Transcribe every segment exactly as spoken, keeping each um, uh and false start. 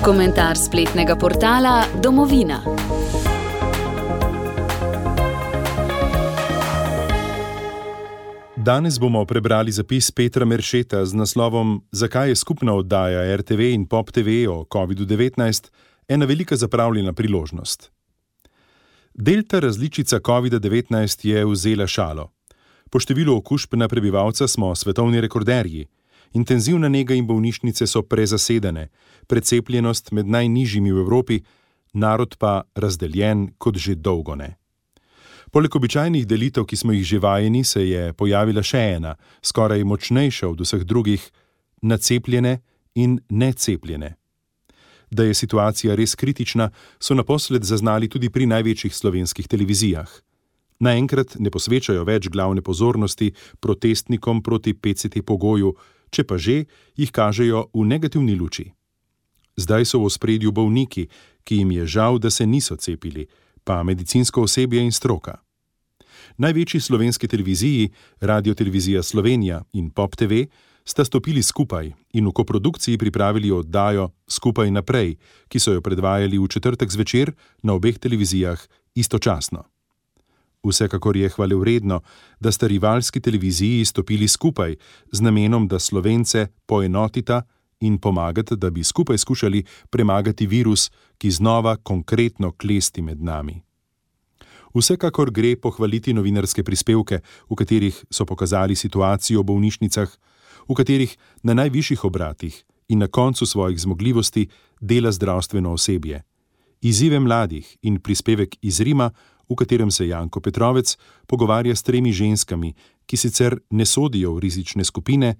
Komentar spletnega portala Domovina. Danes bomo prebrali zapis Petra Meršeta z naslovom Zakaj je skupna oddaja er te ve in Pop te ve o kovidu devetnajst ena velika zapravljena priložnost. Delta različica kovida devetnajst je vzela šalo. Po številu okužb na prebivalca smo svetovni rekorderji. Intenzivna nega in bolnišnice so prezasedene, precepljenost med najnižjimi v Evropi, narod pa razdeljen kot že dolgo ne. Poleg običajnih delitev, ki smo jih že vajeni, se je pojavila še ena, skoraj močnejša od vseh drugih, nacepljene in necepljene. Da je situacija res kritična, so naposled zaznali tudi pri največjih slovenskih televizijah. Naenkrat ne posvečajo več glavne pozornosti protestnikom proti pe ce te pogoju, če pa že, jih kažejo v negativni luči. Zdaj so v ospredju bolniki, ki jim je žal, da se niso cepili, pa medicinsko osebje in stroka. Največji slovenski televiziji, Radiotelevizija Slovenija in Pop te ve, sta stopili skupaj in v koprodukciji pripravili oddajo Skupaj naprej, ki so jo predvajali v četrtek zvečer na obeh televizijah istočasno. Vsekakor je hvalevredno, da sta rivalski televiziji stopili skupaj z namenom, da Slovence poenotita in pomagati, da bi skupaj skušali premagati virus, ki znova konkretno klesti med nami. Vsekakor gre pohvaliti novinarske prispevke, v katerih so pokazali situacijo v bolnišnicah, v katerih na najvišjih obratih in na koncu svojih zmogljivosti dela zdravstveno osebje. Izzive mladih in prispevek iz Rima, v katerem se Janko Petrovec pogovarja s tremi ženskami, ki sicer ne sodijo v rizične skupine,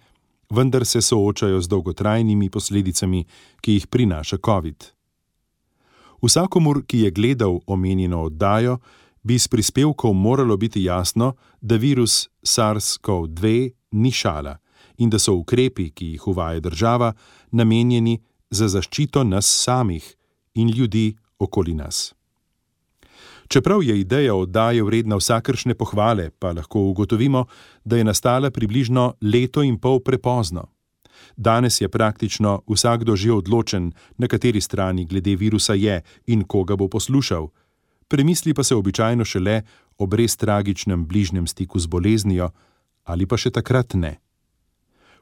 vendar se soočajo z dolgotrajnimi posledicami, ki jih prinaša covid. Vsakomur, ki je gledal omenjeno oddajo, bi s prispevkov moralo biti jasno, da virus SARS kov dve ni šala in da so ukrepi, ki jih uvaja država, namenjeni za zaščito nas samih in ljudi okoli nas. Čeprav je ideja oddaje vredna vsakršne pohvale, pa lahko ugotovimo, da je nastala približno leto in pol prepozno. Danes je praktično vsakdo že odločen, na kateri strani glede virusa je in koga bo poslušal. Premisli pa se običajno šele ob res tragičnem bližnjem stiku z boleznijo, ali pa še takrat ne.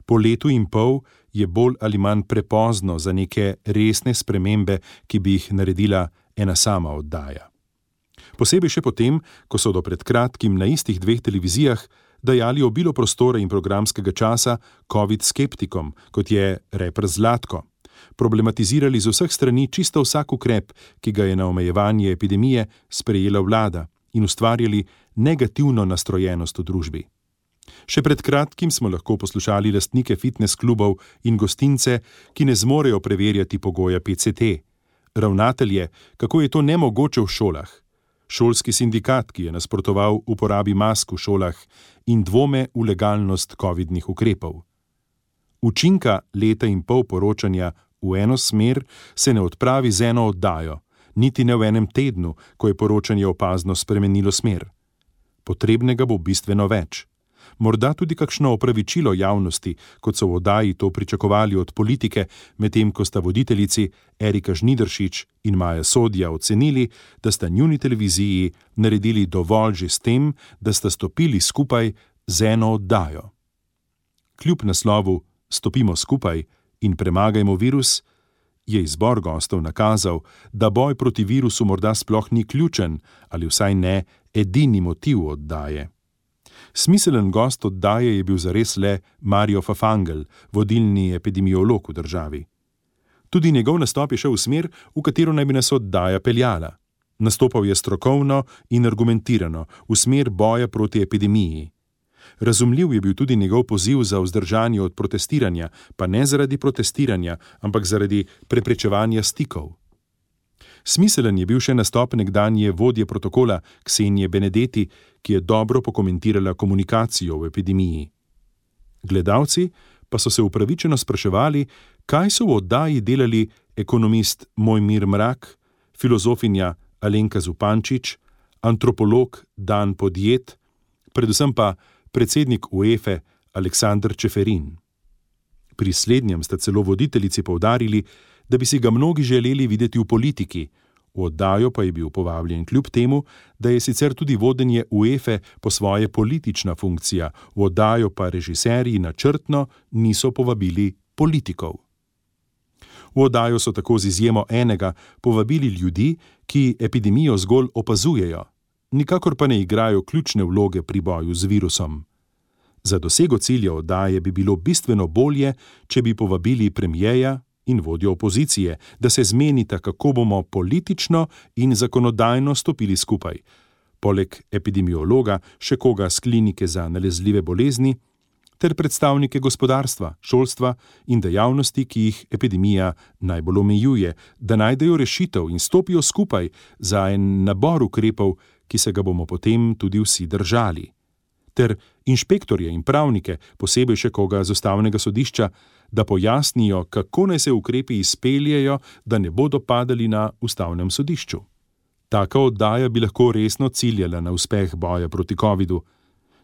Po letu in pol je bolj ali manj prepozno za neke resne spremembe, ki bi jih naredila ena sama oddaja. Posebej še potem, ko so do pred kratkim na istih dveh televizijah dajali obilo prostora in programskega časa covid skeptikom, kot je reper Zlatko. Problematizirali z vseh strani čisto vsak ukrep, ki ga je na omejevanje epidemije sprejela vlada, in ustvarjali negativno nastrojenost v družbi. Še pred kratkim smo lahko poslušali lastnike fitness klubov in gostince, ki ne zmorejo preverjati pogoja pe ce te. Ravnatelje, kako je to nemogoče v šolah. Šolski sindikat, ki je nasprotoval uporabi mask v šolah in dvome v legalnost covidnih ukrepov. Učinka leta in pol poročanja v eno smer se ne odpravi z eno oddajo, niti ne v enem tednu, ko je poročanje opazno spremenilo smer. Potrebnega bo bistveno več. Morda tudi kakšno opravičilo javnosti, kot so v oddaji to pričakovali od politike, medtem ko sta voditeljici Erika Žnidaršič in Maja Sodja ocenili, da sta njuni televiziji naredili dovolj že s tem, da sta stopili skupaj z eno oddajo. Kljub naslovu Stopimo skupaj in premagajmo virus, je izbor gostov nakazal, da boj proti virusu morda sploh ni ključen ali vsaj ne edini motiv oddaje. Smiselen gost oddaje je bil zares le Mario Fafangel, vodilni epidemiolog v državi. Tudi njegov nastop je šel v smer, v katero naj bi nas oddaja peljala. Nastopal je strokovno in argumentirano, v smer boja proti epidemiji. Razumljiv je bil tudi njegov poziv za vzdržanje od protestiranja, pa ne zaradi protestiranja, ampak zaradi preprečevanja stikov. Smiselen je bil še nastop nekdanje vodje protokola Ksenije Benedeti, ki je dobro pokomentirala komunikacijo v epidemiji. Gledalci pa so se upravičeno spraševali, kaj so v oddaji delali ekonomist Mojmir Mrak, filozofinja Alenka Zupančič, antropolog Dan Podjed, predvsem pa predsednik UEFA Aleksander Čeferin. Pri slednjem sta celo voditeljici poudarili, da bi si ga mnogi želeli videti v politiki. V oddajo pa je bil povabljen kljub temu, da je sicer tudi vodenje UEFA po svoje politična funkcija, v oddajo pa režiserji načrtno niso povabili politikov. V oddajo so tako z izjemo enega povabili ljudi, ki epidemijo zgolj opazujejo, nikakor pa ne igrajo ključne vloge pri boju z virusom. Za dosego cilja oddaje bi bilo bistveno bolje, če bi povabili premierja in vodjo opozicije, da se zmenita, kako bomo politično in zakonodajno stopili skupaj. Poleg epidemiologa še koga s klinike za nalezljive bolezni, ter predstavnike gospodarstva, šolstva in dejavnosti, ki jih epidemija najbolj omejuje, da najdejo rešitev in stopijo skupaj za en nabor ukrepov, ki se ga bomo potem tudi vsi držali. Ter inšpektorje in pravnike, posebej še koga z ustavnega sodišča, da pojasnijo, kako naj se ukrepi izpeljejo, da ne bodo padali na ustavnem sodišču. Taka oddaja bi lahko resno ciljala na uspeh boja proti covidu.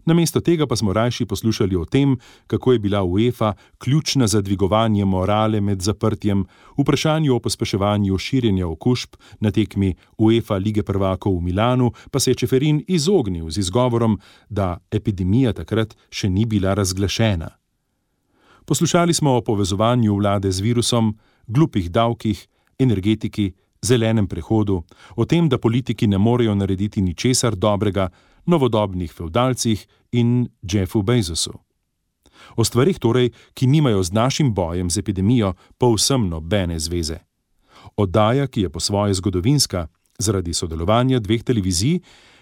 Namesto tega pa smo rajši poslušali o tem, kako je bila UEFA ključna za dvigovanje morale med zaprtjem, vprašanju o pospeševanju širjenja okužb na tekmi UEFA Lige prvakov v Milanu, pa se je Čeferin izognil z izgovorom, da epidemija takrat še ni bila razglašena. Poslušali smo o povezovanju vlade z virusom, glupih davkih, energetiki, zelenem prehodu, o tem, da politiki ne morejo narediti ničesar dobrega, novodobnih fevdalcih in Jeffu Bezosu. O stvarih torej, ki nimajo z našim bojem z epidemijo povsem nobene zveze. Oddaja, ki je po svoje zgodovinska, zaradi sodelovanja dveh televizij,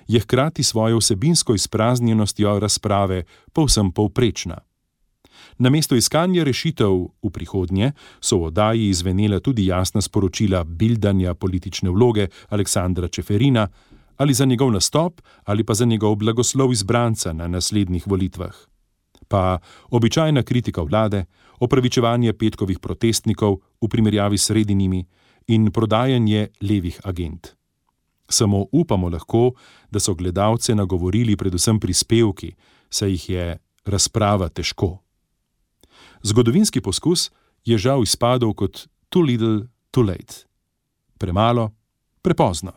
je hkrati svojo vsebinsko izpraznjenostjo razprave povsem povprečna. Namesto iskanja rešitev v prihodnje so v oddaji izvenela tudi jasna sporočila bildanja politične vloge Aleksandra Čeferina, ali za njegov nastop, ali pa za njegov blagoslov izbranca na naslednjih volitvah. Pa običajna kritika vlade, opravičevanje petkovih protestnikov v primerjavi s sredinimi in prodajanje levih agent. Samo upamo lahko, da so gledalce nagovorili predvsem prispevki, saj jih je razprava težko. Zgodovinski poskus je žal izpadel kot too little, too late. Premalo, prepozno.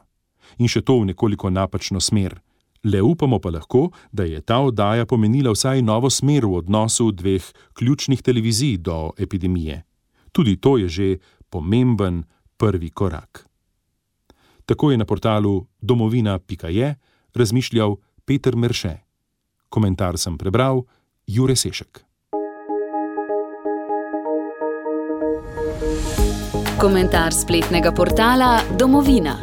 In še to v nekoliko napačno smer. Le upamo pa lahko, da je ta oddaja pomenila vsaj novo smer v odnosu dveh ključnih televizij do epidemije. Tudi to je že pomemben prvi korak. Tako je na portalu domovina pika je razmišljal Peter Merše. Komentar sem prebral Jure Sešek. Komentar spletnega portala Domovina.